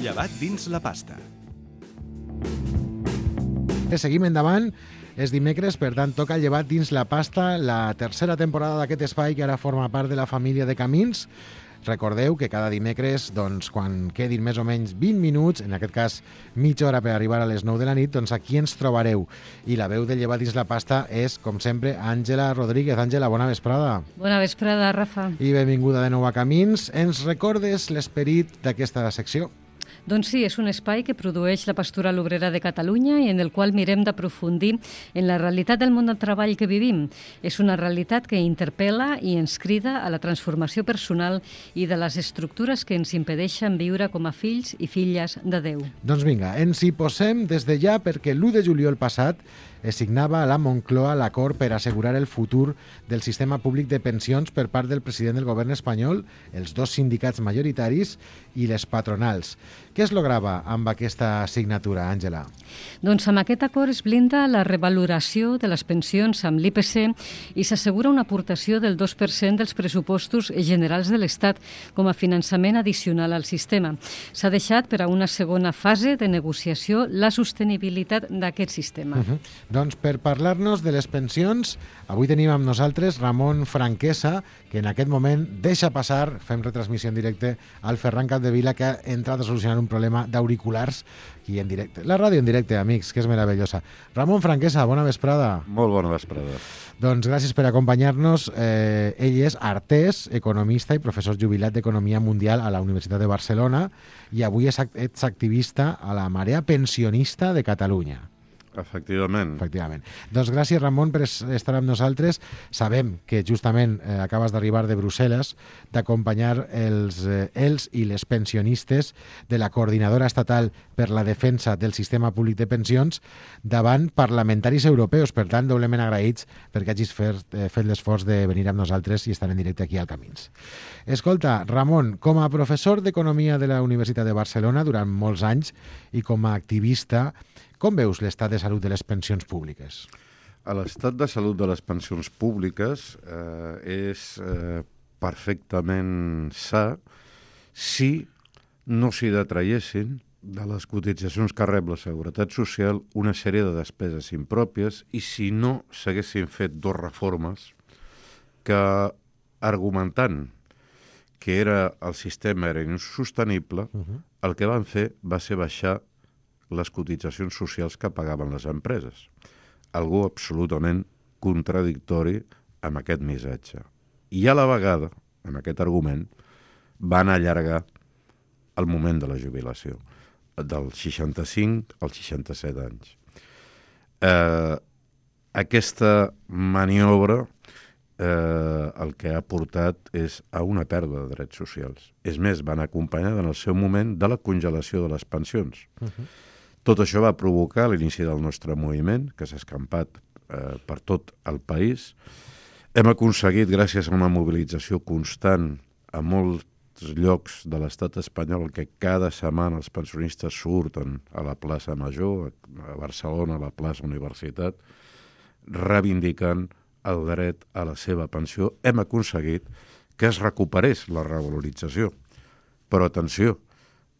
Llevat dins la pasta. Seguim endavant. És dimecres, per tant, toca Llevat dins la pasta, la tercera temporada d'aquest espai que ara forma part de la família de Camins. Recordeu que cada dimecres, doncs, quan quedin més o menys 20 minuts, en aquest cas mitja hora per arribar a les 9 de la nit, doncs aquí ens trobareu. I la veu de Llevat dins la pasta és, com sempre, Àngela Rodríguez. Àngela, bona vesprada. Bona vesprada, Rafa. I benvinguda de nou a Camins. Ens recordes l'esperit d'aquesta secció? Doncs sí, és un espai que produeix la Pastoral Obrera de Catalunya i en el qual mirem d'aprofundir en la realitat del món del treball que vivim. És una realitat que interpel·la i ens crida a la transformació personal i de les estructures que ens impedeixen viure com a fills i filles de Déu. Doncs vinga, ens hi posem des de ja perquè l'1 de juliol passat es signava a la Moncloa l'acord per assegurar el futur del sistema públic de pensions per part del president del govern espanyol, els dos sindicats majoritaris i les patronals. Què es lograva amb aquesta signatura, Àngela? Doncs amb aquest acord es blinda la revaloració de les pensions amb l'IPC i s'assegura una aportació del 2% dels pressupostos generals de l'Estat com a finançament addicional al sistema. S'ha deixat per a una segona fase de negociació la sostenibilitat d'aquest sistema. Doncs per parlar-nos de les pensions, avui tenim amb nosaltres Ramon Franquesa, que en aquest moment deixa passar, fem retransmissió en directe, al Ferran Capdevila, que ha entrat a solucionar un problema d'auriculars aquí en directe. La ràdio en directe, amics, que és meravellosa. Ramon Franquesa, bona vesprada. Molt bona vesprada. Doncs gràcies per acompanyar-nos. Ell és artès, economista i professor jubilat d'Economia Mundial a la Universitat de Barcelona i avui ets activista a la Marea Pensionista de Catalunya. Efectivament. Doncs gràcies, Ramon, per estar amb nosaltres. Sabem que justament acabes d'arribar de Brussel·les, d'acompanyar els i les pensionistes de la Coordinadora Estatal per la Defensa del Sistema Públic de Pensions davant parlamentaris europeus. Per tant, doblement agraïts perquè hagis fet l'esforç de venir amb nosaltres i estar en directe aquí al Camins. Escolta, Ramon, com a professor d'Economia de la Universitat de Barcelona durant molts anys i com a activista, com veus l'estat de salut de les pensions públiques? L'estat de salut de les pensions públiques és perfectament sa si no s'hi detraiessin de les cotitzacions que rep la Seguretat Social una sèrie de despeses impròpies i si no s'haguessin fet dues reformes que, argumentant que el sistema era insostenible, el que van fer va ser baixar les cotitzacions socials que pagaven les empreses. Algo absolutament contradictori amb aquest missatge. I a la vegada, amb aquest argument, van allargar el moment de la jubilació, del 65 als 67 anys. Aquesta maniobra el que ha portat és a una pèrdua de drets socials. És més, van acompanyar en el seu moment de la congelació de les pensions. Tot això va provocar l'inici del nostre moviment, que s'ha escampat per tot el país. Hem aconseguit, gràcies a una mobilització constant a molts llocs de l'estat espanyol, que cada setmana els pensionistes surten a la plaça Major, a Barcelona, a la plaça Universitat, reivindicant el dret a la seva pensió. Hem aconseguit que es recuperés la revalorització. Però atenció,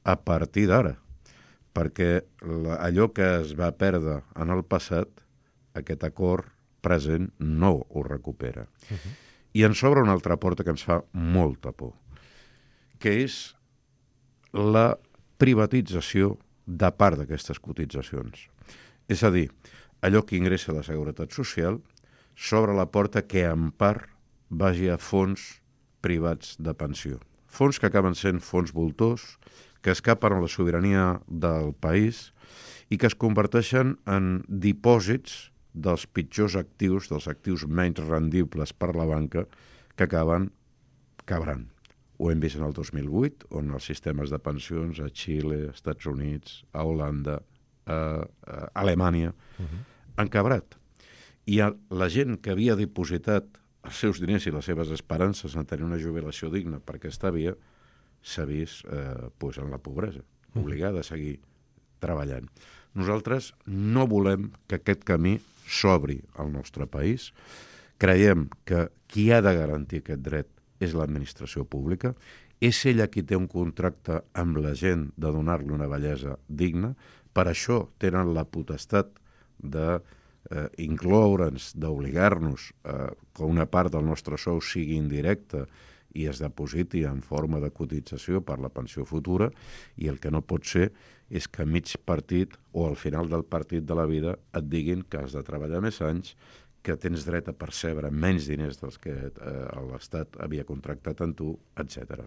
a partir d'ara, perquè allò que es va perdre en el passat, aquest acord present no ho recupera. I ens obre una altra porta que ens fa molta por, que és la privatització de part d'aquestes cotitzacions. És a dir, allò que ingressa la Seguretat Social s'obre la porta que en part vagi a fons privats de pensió. Fons que acaben sent fons voltors, que escapen a la sobirania del país i que es converteixen en dipòsits dels pitjors actius, dels actius menys rendibles per la banca, que acaben quebrant. Ho hem vist en el 2008, on els sistemes de pensions a Xile, als Estats Units, a Holanda, a Alemanya, han quebrat. I la gent que havia dipositat els seus diners i les seves esperances en tenir una jubilació digna per aquesta via, s'ha vist en la pobresa, obligada a seguir treballant. Nosaltres no volem que aquest camí s'obri al nostre país. Creiem que qui ha de garantir aquest dret és l'administració pública, és ella qui té un contracte amb la gent de donar-li una bellesa digna, per això tenen la potestat de incloure'ns, d'obligar-nos que una part del nostre sou sigui indirecta i es depositi en forma de cotització per la pensió futura, i el que no pot ser és que a mig partit o al final del partit de la vida et diguin que has de treballar més anys, que tens dret a percebre menys diners dels que l'Estat havia contractat amb tu, etc.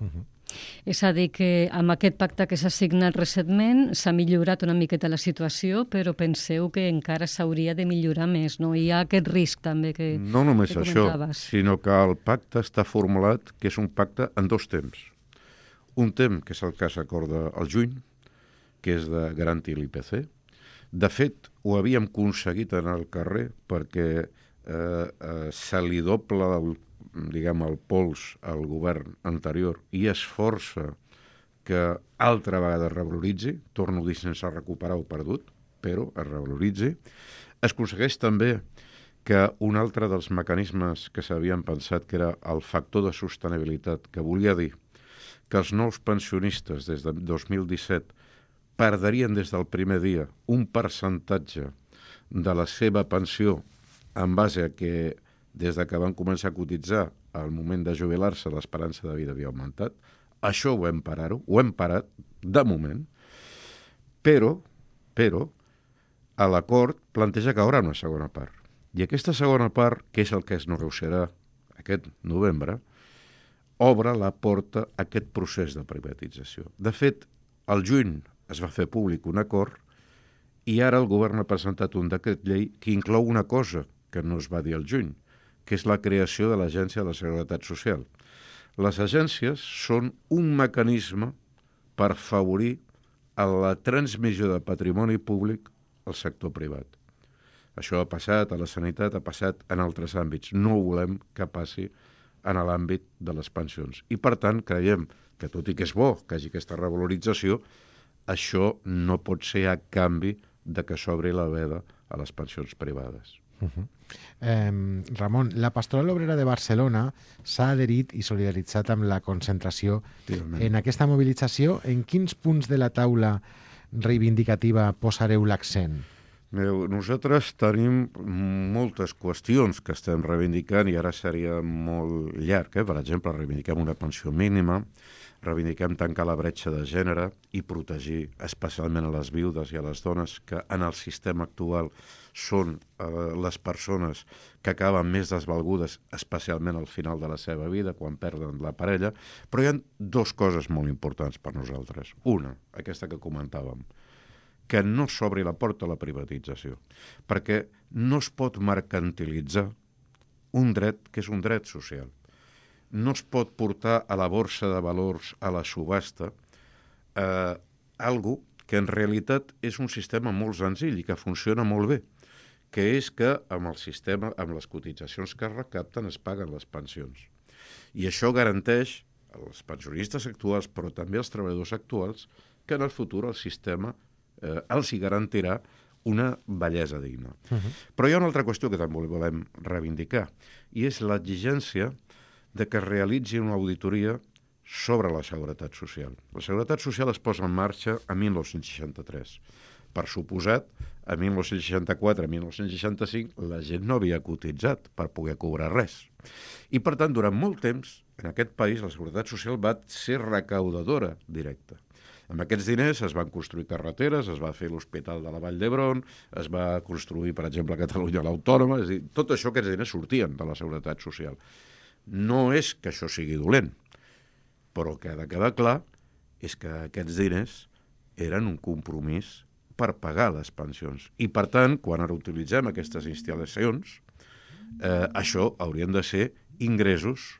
És a dir, que amb aquest pacte que s'ha signat recentment s'ha millorat una miqueta la situació, però penseu que encara s'hauria de millorar més, no? Hi ha aquest risc també que no només que això, comentaves. sinó que el pacte està formulat que és un pacte en dos temps. Un temps, que és el que s'acorda al juny, que és de garantir l'IPC. De fet, ho havíem aconseguit en el carrer perquè se li dobla el pols al govern anterior i es força que altra vegada es revaloritzi, torno a dir sense recuperar o perdut, però es revaloritzi. Es aconsegueix també que un altre dels mecanismes que s'havien pensat, que era el factor de sostenibilitat, que volia dir que els nous pensionistes des de 2017 perdrien des del primer dia un percentatge de la seva pensió en base a que des de que van començar a cotitzar al moment de jubilar-se l'esperança de vida havia augmentat. Això ho hem parat de moment, però a l'acord planteja que hi haurà una segona part. I aquesta segona part, que és el que es negociarà aquest novembre, obre la porta a aquest procés de privatització. De fet, al juny es va fer públic un acord i ara el govern ha presentat un decret llei que inclou una cosa que no es va dir al juny, que és la creació de l'Agència de la Seguretat Social. Les agències són un mecanisme per afavorir la transmissió de patrimoni públic al sector privat. Això ha passat a la sanitat, ha passat en altres àmbits. No volem que passi en l'àmbit de les pensions. I, per tant, creiem que, tot i que és bo que hi hagi aquesta revalorització, això no pot ser a canvi de que s'obri la veda a les pensions privades. Ramon, la Pastoral Obrera de Barcelona s'ha adherit i solidaritzat amb la concentració. En aquesta mobilització, en quins punts de la taula reivindicativa posareu l'accent? Nosaltres tenim moltes qüestions que estem reivindicant i ara seria molt llarg. Per exemple, reivindiquem una pensió mínima, reivindiquem tancar la bretxa de gènere i protegir especialment a les viudes i a les dones que en el sistema actual són les persones que acaben més desvalgudes, especialment al final de la seva vida, quan perden la parella. Però hi ha dues coses molt importants per nosaltres. Una, aquesta que comentàvem, que no s'obri la porta a la privatització, perquè no es pot mercantilitzar un dret que és un dret social. No es pot portar a la borsa de valors, a la subhasta, algo que en realitat és un sistema molt senzill i que funciona molt bé, que és que amb el sistema, amb les cotitzacions que es recapten, es paguen les pensions. I això garanteix als pensionistes actuals, però també als treballadors actuals, que en el futur el sistema els hi garantirà una bellesa digna. Però hi ha una altra qüestió que també volem reivindicar, i és l'exigència de que es realitzi una auditoria sobre la Seguretat Social. La Seguretat Social es posa en marxa a 1963. Per suposat, a 1964, a 1965, la gent no havia cotitzat per poder cobrar res. I, per tant, durant molt temps, en aquest país, la Seguretat Social va ser recaudadora directa. Amb aquests diners es van construir carreteres, es va fer l'Hospital de la Vall d'Hebron, es va construir, per exemple, a Catalunya l'Autònoma, és a dir, tot això, aquests diners sortien de la Seguretat Social. No és que això sigui dolent, però el que ha de quedar clar és que aquests diners eren un compromís per pagar les pensions. I, per tant, quan ara utilitzem aquestes instal·lacions, això haurien de ser ingressos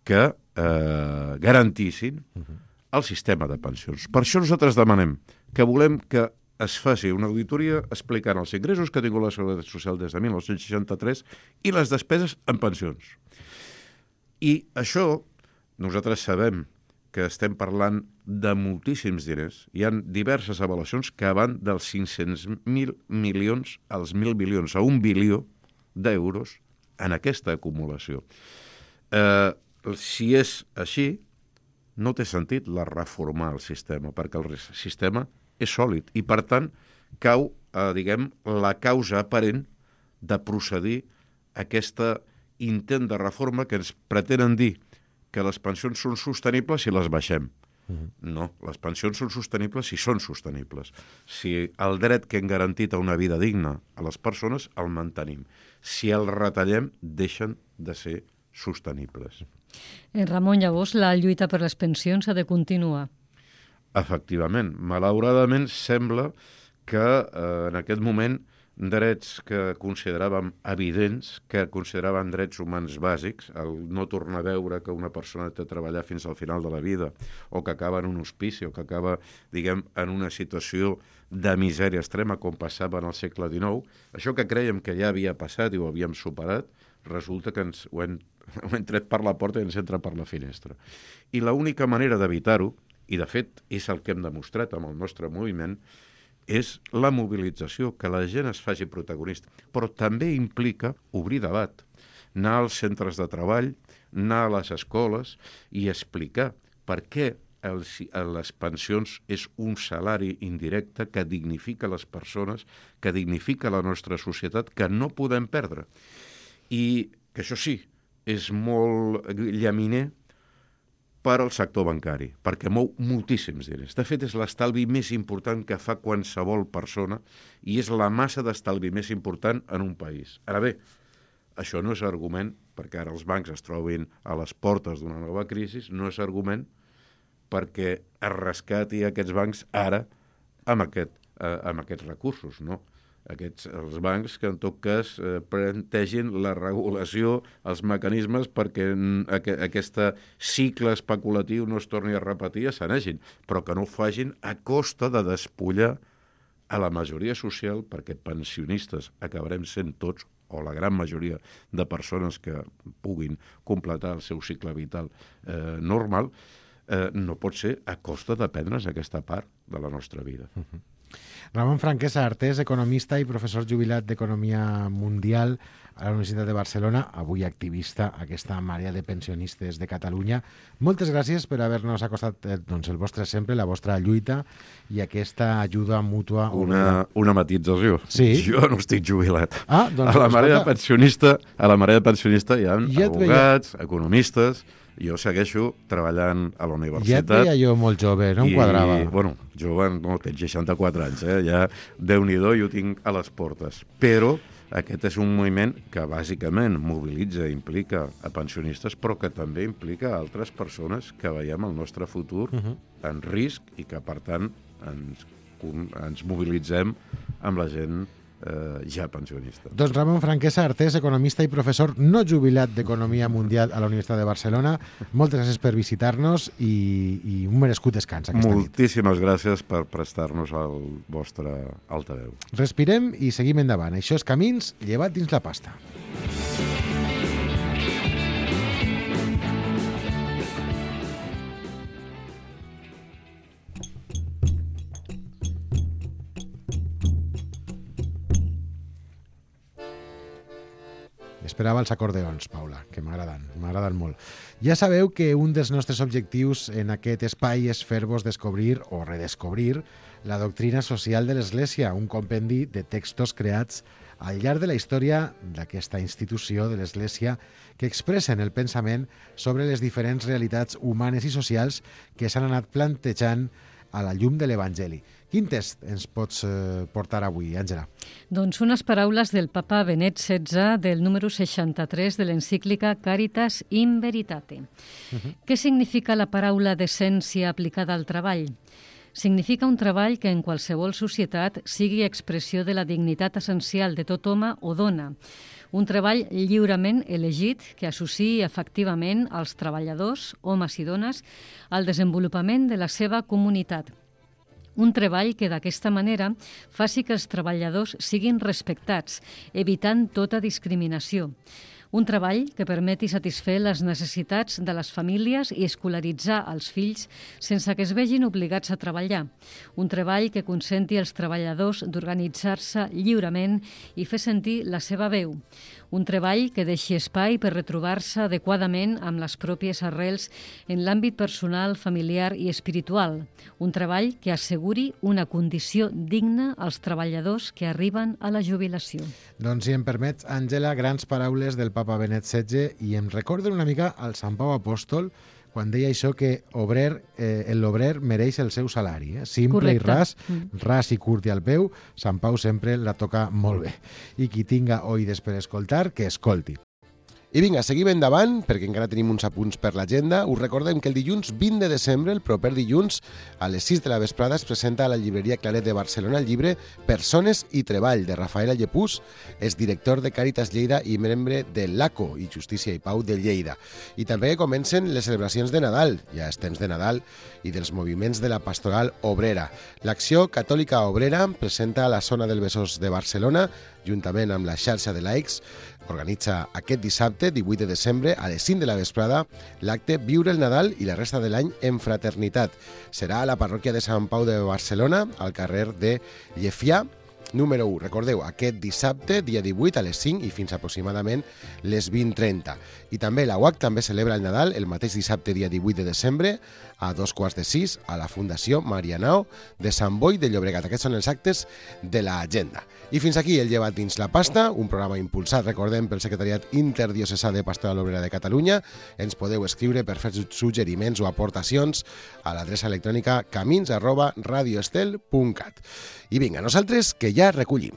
que garantissin el sistema de pensions. Per això nosaltres demanem que volem que es faci una auditoria explicant els ingressos que ha tingut la Seguretat Social des de 1963 i les despeses en pensions. I això, nosaltres sabem que estem parlant de moltíssims diners. Hi ha diverses avaluacions que van dels 500.000 milions als 1.000 milions, a 1 bilió d'euros en aquesta acumulació. si és així, no té sentit reformar el sistema, perquè el sistema és sòlid i, per tant, cau, diguem, la causa aparent de procedir a aquest intent de reforma que ens pretenen dir que les pensions són sostenibles si les baixem. No, les pensions són sostenibles si són sostenibles. Si el dret que hem garantit a una vida digna a les persones el mantenim. Si el retallem, deixen de ser sostenibles. Ramon, llavors, la lluita per les pensions ha de continuar. Efectivament. Malauradament, sembla que en aquest moment drets que consideràvem evidents, que consideraven drets humans bàsics, el no tornar a veure que una persona té de treballar fins al final de la vida, o que acaba en un hospici, o que acaba, diguem, en una situació de misèria extrema, com passava en el segle XIX, això que crèiem que ja havia passat i ho havíem superat, resulta que ho hem tret per la porta i ens entra per la finestra. I l'única manera d'evitar-ho, i de fet és el que hem demostrat amb el nostre moviment, és la mobilització, que la gent es faci protagonista. Però també implica obrir debat, anar als centres de treball, anar a les escoles i explicar per què les pensions és un salari indirecte que dignifica les persones, que dignifica la nostra societat, que no podem perdre. I que això sí, és molt llaminer per al sector bancari, perquè mou moltíssims diners. De fet, és l'estalvi més important que fa qualsevol persona i és la massa d'estalvi més important en un país. Ara bé, això no és argument, perquè ara els bancs es trobin a les portes d'una nova crisi, no és argument perquè es rescati aquests bancs ara amb aquests recursos, no? Els bancs que en tot cas plantegin la regulació, els mecanismes perquè aquest cicle especulatiu no es torni a repetir i s'anegin, però que no ho facin a costa de despullar a la majoria social, perquè pensionistes acabarem sent tots, o la gran majoria de persones que puguin completar el seu cicle vital normal, no pot ser a costa de prendre's aquesta part de la nostra vida. Ramon Franquesa, artès, economista i professor jubilat d'Economia Mundial a la Universitat de Barcelona, avui activista a aquesta marea de pensionistes de Catalunya. Moltes gràcies per haver-nos acostat el vostre sempre, la vostra lluita i aquesta ajuda mútua. Una matització. Sí? Jo no estic jubilat. Doncs, a la marea de pensionista hi ha advocats, economistes. Jo segueixo treballant a la universitat. Ja et veia jo molt jove, no em quadrava. Bueno, jove, no, tens 64 anys, ja Déu-n'hi-do, jo tinc a les portes. Però aquest és un moviment que bàsicament mobilitza i implica a pensionistes, però que també implica a altres persones que veiem el nostre futur en risc i que, per tant, ens mobilitzem amb la gent ja pensionista. Doncs Ramon Franquesa, artès, economista i professor no jubilat d'Economia Mundial a la Universitat de Barcelona, moltes gràcies per visitar-nos i un merescut descans aquesta nit. Moltíssimes gràcies per prestar-nos el vostre altaveu. Respirem i seguim endavant. Això és Camins, llevat dins la pasta. Esperava els acordeons, Paula, que m'agraden molt. Ja sabeu que un dels nostres objectius en aquest espai és fer-vos descobrir o redescobrir la doctrina social de l'Església, un compendi de textos creats al llarg de la història d'aquesta institució de l'Església que expressen el pensament sobre les diferents realitats humanes i socials que s'han anat plantejant a la llum de l'Evangeli. Quin text ens pots portar avui, Àngela? Doncs unes paraules del papa Benet XVI del número 63 de l'encíclica Caritas in Veritate. Què significa la paraula decència aplicada al treball? Significa un treball que en qualsevol societat sigui expressió de la dignitat essencial de tot home o dona. Un treball lliurement elegit que associï efectivament els treballadors, homes i dones, al desenvolupament de la seva comunitat. Un treball que d'aquesta manera faci que els treballadors siguin respectats, evitant tota discriminació. Un treball que permeti satisfer les necessitats de les famílies i escolaritzar els fills sense que es vegin obligats a treballar. Un treball que consenti als treballadors d'organitzar-se lliurement i fer sentir la seva veu. Un treball que deixi espai per retrobar-se adequadament amb les pròpies arrels en l'àmbit personal, familiar i espiritual. Un treball que asseguri una condició digna als treballadors que arriben a la jubilació. Doncs si em permets, Àngela, grans paraules del papa Benet XVI i em recorden una mica al Sant Pau Apòstol quan deia això que l'obrer mereix el seu salari. Simple Correcte. i ras i curt i al peu, Sant Pau sempre la toca molt bé. I qui tinga oïdes per escoltar, que escolti. I vinga, seguim endavant, perquè encara tenim uns apunts per l'agenda. Us recordem que el dilluns 20 de desembre, el proper dilluns, a les 6 de la vesprada, es presenta a la llibreria Claret de Barcelona el llibre Persones i Treball, de Rafael Allepús, és director de Càritas Lleida i membre de l'ACO i Justícia i Pau de Lleida. I també comencen les celebracions de Nadal, ja és temps de Nadal, i dels moviments de la pastoral obrera. L'Acció Catòlica Obrera presenta a la zona del Besòs de Barcelona, juntament amb la xarxa de laics, organitza aquest dissabte, 18 de desembre, a les 5 de la vesprada, l'acte Viure el Nadal i la resta de l'any en fraternitat. Serà a la parròquia de Sant Pau de Barcelona, al carrer de Llefià, número 1. Recordeu, aquest dissabte, dia 18, a les 5 i fins aproximadament les 20:30. I també la UAC també celebra el Nadal el mateix dissabte, dia 18 de desembre, a 5:15, a la Fundació Marianao de Sant Boi de Llobregat. Aquests són els actes de l'agenda. I fins aquí el Llevat dins la pasta, un programa impulsat, recordem, pel Secretariat Interdiocesà de Pastoral Obrera de Catalunya. Ens podeu escriure per fer suggeriments o aportacions a l'adreça electrònica camins@radioestel.cat. I vinga, nosaltres que ja recollim.